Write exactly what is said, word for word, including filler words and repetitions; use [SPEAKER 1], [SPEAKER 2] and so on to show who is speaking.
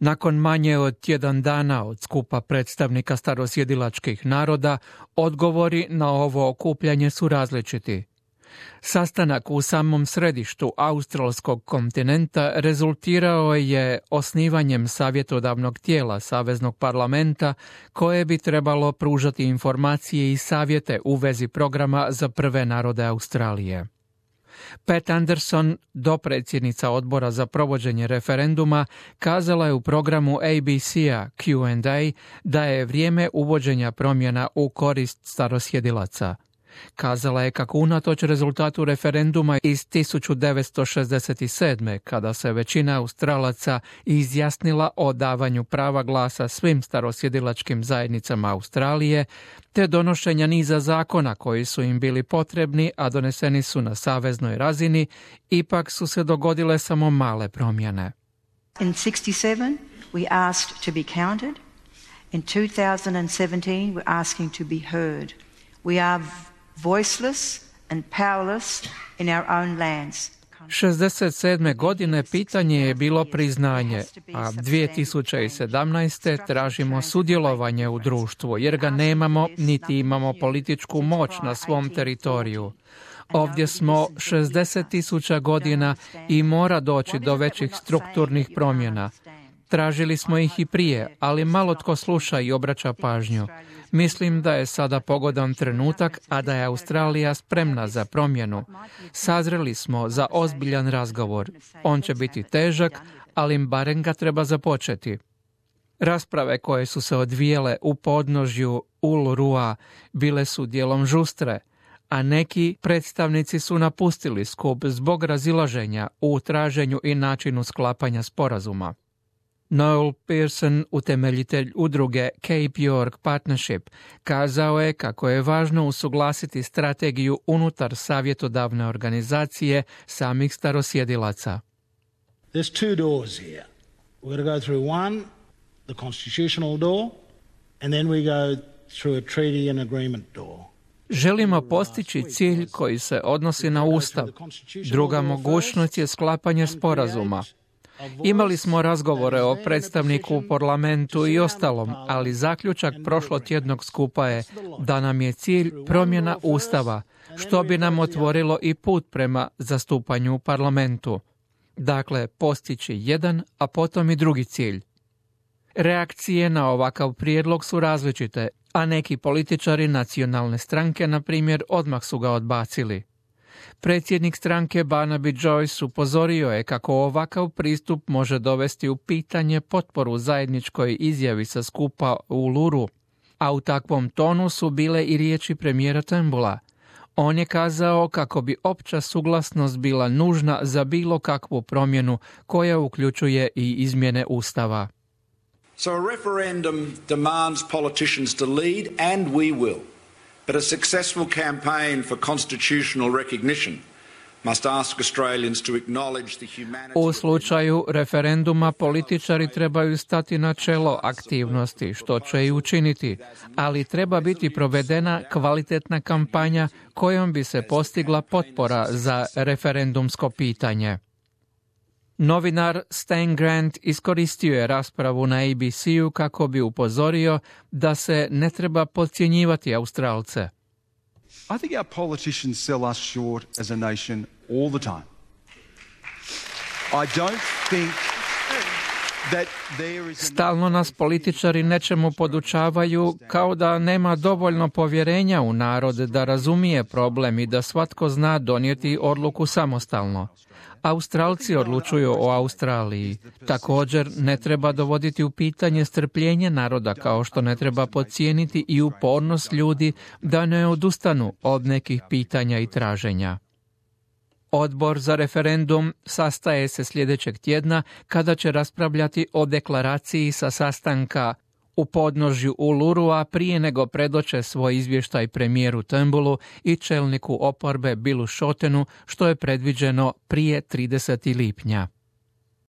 [SPEAKER 1] Nakon manje od tjedan dana od skupa predstavnika starosjedilačkih naroda, odgovori na ovo okupljanje su različiti. Sastanak u samom središtu australskog kontinenta rezultirao je osnivanjem savjetodavnog tijela Saveznog parlamenta koje bi trebalo pružati informacije i savjete u vezi programa za prve narode Australije. Pat Anderson, dopredsjednica odbora za provođenje referenduma, kazala je u programu A B C-a Q and A da je vrijeme uvođenja promjena u korist starosjedilaca. Kazala je kako unatoč rezultatu referenduma iz tisuću devetsto šezdeset sedme. kada se većina Australaca izjasnila o davanju prava glasa svim starosjedilačkim zajednicama Australije, te donošenja niza zakona koji su im bili potrebni, a doneseni su na saveznoj razini, ipak su se dogodile samo male promjene.
[SPEAKER 2] In sixty-seven we asked to be counted. In two thousand seventeen we're asking to be heard. We are voiceless and powerless in our own lands.
[SPEAKER 1] šezdeset sedme. godine pitanje je bilo priznanje, a dvije tisuće sedamnaeste. tražimo sudjelovanje u društvu, jer ga nemamo niti imamo političku moć na svom teritoriju. Ovdje smo šezdeset tisuća godina i mora doći do većih strukturnih promjena. Tražili smo ih i prije, ali malo tko sluša i obraća pažnju. Mislim da je sada pogodan trenutak, a da je Australija spremna za promjenu. Sazreli smo za ozbiljan razgovor. On će biti težak, ali barem ga treba započeti. Rasprave koje su se odvijele u podnožju Ulurua bile su dijelom žustre, a neki predstavnici su napustili skup zbog razilaženja u traženju i načinu sklapanja sporazuma. Noel Pearson, utemeljitelj udruge Cape York Partnership, kazao je kako je važno usuglasiti strategiju unutar savjetodavne organizacije samih starosjedilaca.
[SPEAKER 3] There's two doors here. We're going to go through one, the constitutional door, and then we go through a treaty and agreement door.
[SPEAKER 1] Želimo postići cilj koji se odnosi na Ustav. Druga mogućnost je sklapanje sporazuma. Imali smo razgovore o predstavniku u parlamentu i ostalom, ali zaključak prošlotjednog skupa je da nam je cilj promjena Ustava, što bi nam otvorilo i put prema zastupanju u parlamentu. Dakle, postići jedan, a potom i drugi cilj. Reakcije na ovakav prijedlog su različite, a neki političari nacionalne stranke, na primjer, odmah su ga odbacili. Predsjednik stranke Barnaby Joyce upozorio je kako ovakav pristup može dovesti u pitanje potporu zajedničkoj izjavi sa skupa u Uluru, a u takvom tonu su bile i riječi premijera Turnbulla. On je kazao kako bi opća suglasnost bila nužna za bilo kakvu promjenu koja uključuje i izmjene Ustava.
[SPEAKER 4] So a referendum demands politicians to lead, and we will. But a successful campaign for constitutional recognition must ask Australians to acknowledge the humanity.
[SPEAKER 1] U slučaju referenduma političari trebaju stati na čelo aktivnosti, što će i učiniti, ali treba biti provedena kvalitetna kampanja kojom bi se postigla potpora za referendumsko pitanje. Novinar Stan Grant iskoristio je raspravu na A B C-u kako bi upozorio da se ne treba podcjenjivati Australce.
[SPEAKER 5] I think our politicians sell us short as a nation all the time. I don't think that there is...
[SPEAKER 1] Stalno nas političari nečemu podučavaju kao da nema dovoljno povjerenja u narod da razumije problem i da svatko zna donijeti odluku samostalno. Australci odlučuju o Australiji. Također ne treba dovoditi u pitanje strpljenje naroda, kao što ne treba podcijeniti i upornost ljudi da ne odustanu od nekih pitanja i traženja. Odbor za referendum sastaje se sljedećeg tjedna kada će raspravljati o deklaraciji sa sastanka u podnožju Ulurua prije nego predoče svoj izvještaj premijeru Turnbullu i čelniku oporbe Billu Shottenu, što je predviđeno prije tridesetog lipnja.